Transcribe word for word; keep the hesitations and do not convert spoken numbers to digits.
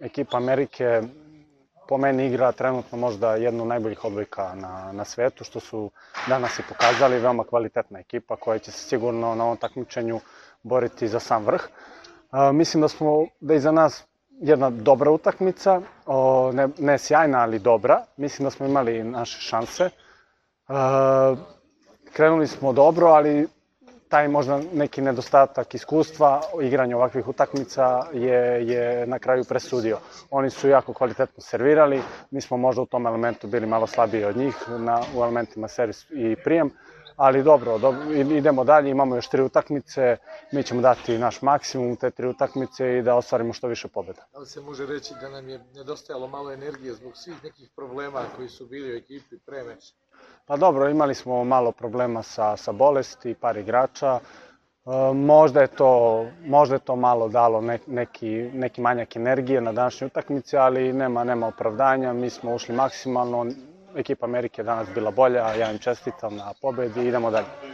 ekipa Amerike po meni igra trenutno možda jednu od najboljih odbojka na, na svetu, što su danas i pokazali, veoma kvalitetna ekipa koja će se sigurno na ovom takmičenju boriti za sam vrh. Uh, mislim da smo, da je iza nas jedna dobra utakmica, o, ne, ne sjajna, ali dobra. Mislim da smo imali naše šanse. Uh, krenuli smo dobro, ali taj možda neki nedostatak iskustva igranja ovakvih utakmica je, je na kraju presudio. Oni su jako kvalitetno servirali, mi smo možda u tom elementu bili malo slabiji od njih, na, u elementima servis i prijem, ali dobro, dobro, idemo dalje, imamo još tri utakmice, mi ćemo dati naš maksimum u te tri utakmice i da ostvarimo što više pobjeda. Da li se može reći da nam je nedostajalo malo energije zbog svih nekih problema koji su bili u ekipi pre meča? Pa dobro, imali smo malo problema sa, sa bolesti, par igrača. E, možda, je to, možda je to malo dalo ne, neki, neki manjak energije na današnjoj utakmici, ali nema, nema opravdanja. Mi smo ušli maksimalno. Ekipa Amerike je danas bila bolja, ja im čestitam na pobedi i idemo dalje.